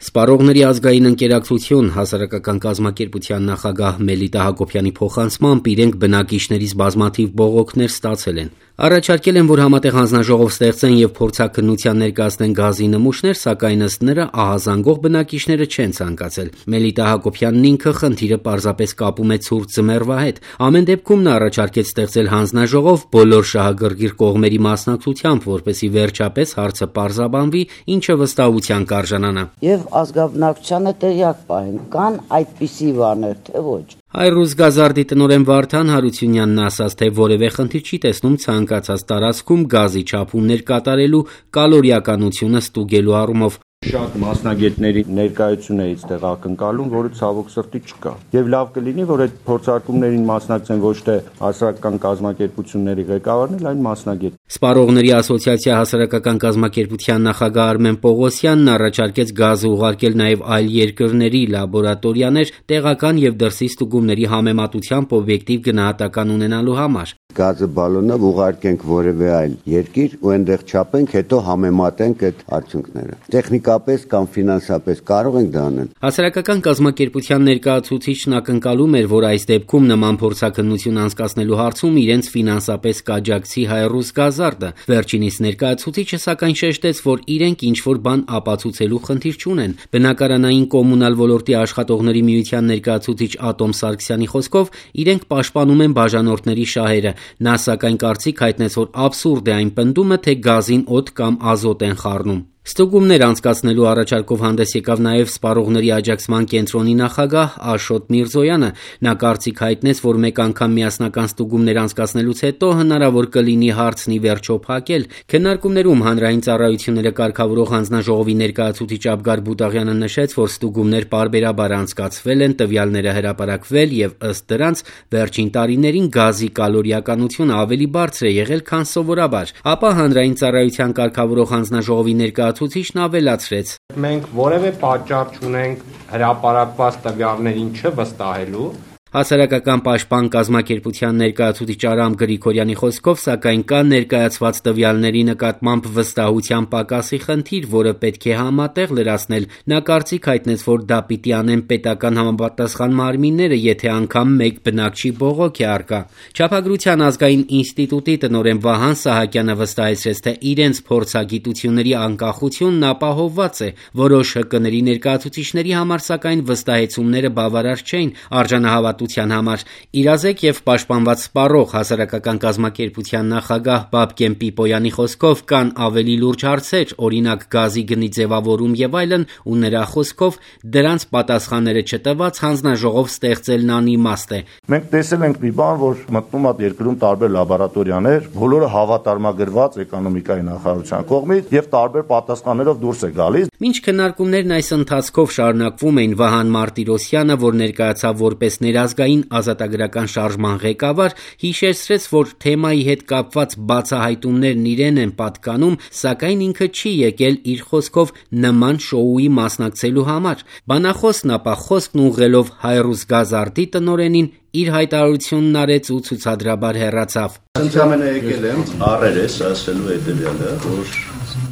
Սպառողների ազգային ընկերակցություն հասարակական կազմակերպության նախագահ Մելիտա Հակոբյանի փոխանցմամբ իրենք բնակիչներից բազմաթիվ բողոքներ ստացել են։ Առաջարկել են, որ համատեղ հանձնաժողով ստեղծեն եւ փորձաքննության ներկայացնեն գազի նմուշներ, սակայն ըստ նրա ահազանգող բնակիչները չեն ցանկացել։ Մելիտա Հակոբյանն ինքը խնդիրը պարզապես կապում է ցուրտ ձմեռվա հետ։ Ամեն դեպքում նա առաջարկեց ստեղծել հանձնաժողով բոլոր շահագրգիռ կողմերի մասնակցությամբ, որպեսզի վերջապես հարցը պարզաբանվի, ինչը վստահության կարժանանա։ Եվ ազգաբնակչությանը տեղյակ պահեն, կան այդպիսի բաներ, թե ոչ։ Հայրուզ գազարդի տնօրեն Վարդան Հարությունյանն ասաց, թե որևէ խնդիր չի տեսնում ցանկացած տարածքում գազի չափումներ կատարելու կալորիականությունը ստուգելու առումով։ Շատ մասնագետների ներկայությունը էից տեղ ակնկալում, որը ցավոք սրտի չկա։ Եվ լավ կլինի, որ այդ փորձարկումներին մասնակցեն ոչ թե հասարակական կազմակերպությունների ղեկավարներ, այլ մասնագետ։ Սպառողների ասոցիացիա հասարակական կազմակերպության նախագահ Արմեն Պողոսյանն առաջարկեց գազը ուղարկել նաև այլ երկրների լաբորատորիաներ տեղական եւ դրսի ստուգումների համեմատությամբ օբյեկտիվ գնահատական ունենալու համար։ Գազը բալոնով ուղարկենք որևէ այլ երկիր ու այնտեղ չափենք, հետո համեմատենք այդ արդյունքները։ Տեխնիկապես կամ ֆինանսապես կարող ենք դա անել։ Հասարակական կազմակերպության ներկայացուցիչն ակնկալում էր, որ այս դեպքում նման փորձաքննություն անցկացնելու հարցում իրենց ֆինանսապես կաջակցի Հայրուզ գազարդը։ Վերջինիս ներկայացուցիչը սակայն շեշտեց, որ իրենք ինչ-որ բան ապացուցելու խնդիր չունեն։ Բնակարանային կոմունալ ոլորտի աշխատողների միության ներկայացուցիչ Ատոմ Սարգսյանի խոսքով իրենք պաշտպանում են բաժանորդների շահերը։ Նա սակայն կարծիք հայտնեց, որ աբսուրդ է այն պնդումը, թե գազին օդ կամ ազոտ են խառնում։ Ստուգումներ անցկացնելու առաջարկով հանդես եկավ նաև Սպառողների աջակցման կենտրոնի նախագահ Աշոտ Միրզոյանը։ Նա կարծիք հայտնեց, որ մեկ անգամ միասնական ստուգումներ անցկացնելուց հետո հնարավոր կլինի հարցն ի վերջո փակել։ Քննարկումներում հանրային ծառայությունները կարգավորող հանձնաժողովի ներկայացուցիչ Աբգար Բուտաղյանը նշեց, որ ստուգումներ պարբերաբար անցկացվել են, տվյալները հրապարակվել եւ ըստ դրանց վերջին տարիներին գազի կալորիականությունը ավելի բարձր է եղել, քան սովորաբար։ Ապա հանրային ծառայության կարգավորող հանձնաժողովի ներկայացուցիչն ավելացրեց. Մենք որևէ պատճառ չունենք հրապարակված տվյալներին չվստահելու։ Հասարակական պաշտպան կազմակերպության ներկայացուցիչ Արամ Գրիգորյանի խոսքով, սակայն կա ներկայացված տվյալների նկատմամբ վստահության պակասի խնդիր, որը պետք է համատեղ լրացնել։ Նա կարծիք հայտնեց, որ դա պիտի անեն պետական համապատասխան մարմինները, եթե անգամ մեկ բնակչի բողոք է առկա։ Չափագրության ազգային ինստիտուտի տնօրեն Վահան Սահակյանը վստահեցրեց, թե իրենց փորձագիտությունների անկախությունն ապահովված է։ Որոշ ՀԿ-ների ներկայացուցիչների համար սակայն վստահեցումները բավարար չէին արժանահավատության համար։ Իրազեկ եւ պաշտպանված սպառող հասարակական կազմակերպության նախագահ Բաբկեն Պիպոյանի խոսքով կան ավելի լուրջ հարցեր, օրինակ գազի գնի ձևավորում եւ այլն, ու նրա խոսքով դրանց պատասխանները չտված հանձնաժողով ստեղծելն անիմաստ է։ Մենք տեսել ենք մի բան, որ մտնում է երկրում տարբեր լաբորատորիաներ, բոլորը հավատարմագրված էկոնոմիկայի նախարարության կողմից եւ տարբեր պատասխաններով դուրս է գալիս։ Մինչ քննարկումներն այս ընթացքով շարունակվում էին, Վահան Մարտիրոսյանը, որ ներկայացավ որպես ներազգային ազատագրական շարժման ղեկավար, հիշեցրեց, որ թեմայի հետ կապված բացահայտումներն իրեն են պատկանում, սակայն ինքը չի եկել իր խոսքով նման շոուի մասնակցելու համար։ Բանախոսն ապա խոսքն ուղղելով Հայրուզ գազարդի տնօրենին իր հայտարարությունն արեց ու ցուցադրաբար հեռացավ։ Ընդամենը եկել եմ առերես ասելու հետևյալը, որ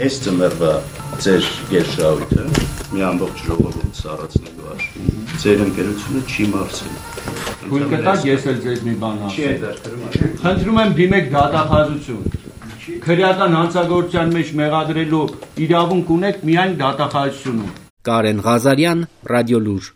այս ծմերվա ձեր գերշահույթը մի ամբողջ ժողովուրդ սառացնելու աշխարհում ձեր ընկերությունը չի մարսել։ Թույլ կտաք ես էլ ձեզ մի բան ասեմ։ Խնդրում եմ դիմեք դատախազություն։ Քրեական հանցագործության մեջ մեղադրելու իրավունք ունեք միայն դատախազությունում։ Կարեն Ղազարյան, Ռադիոլուր։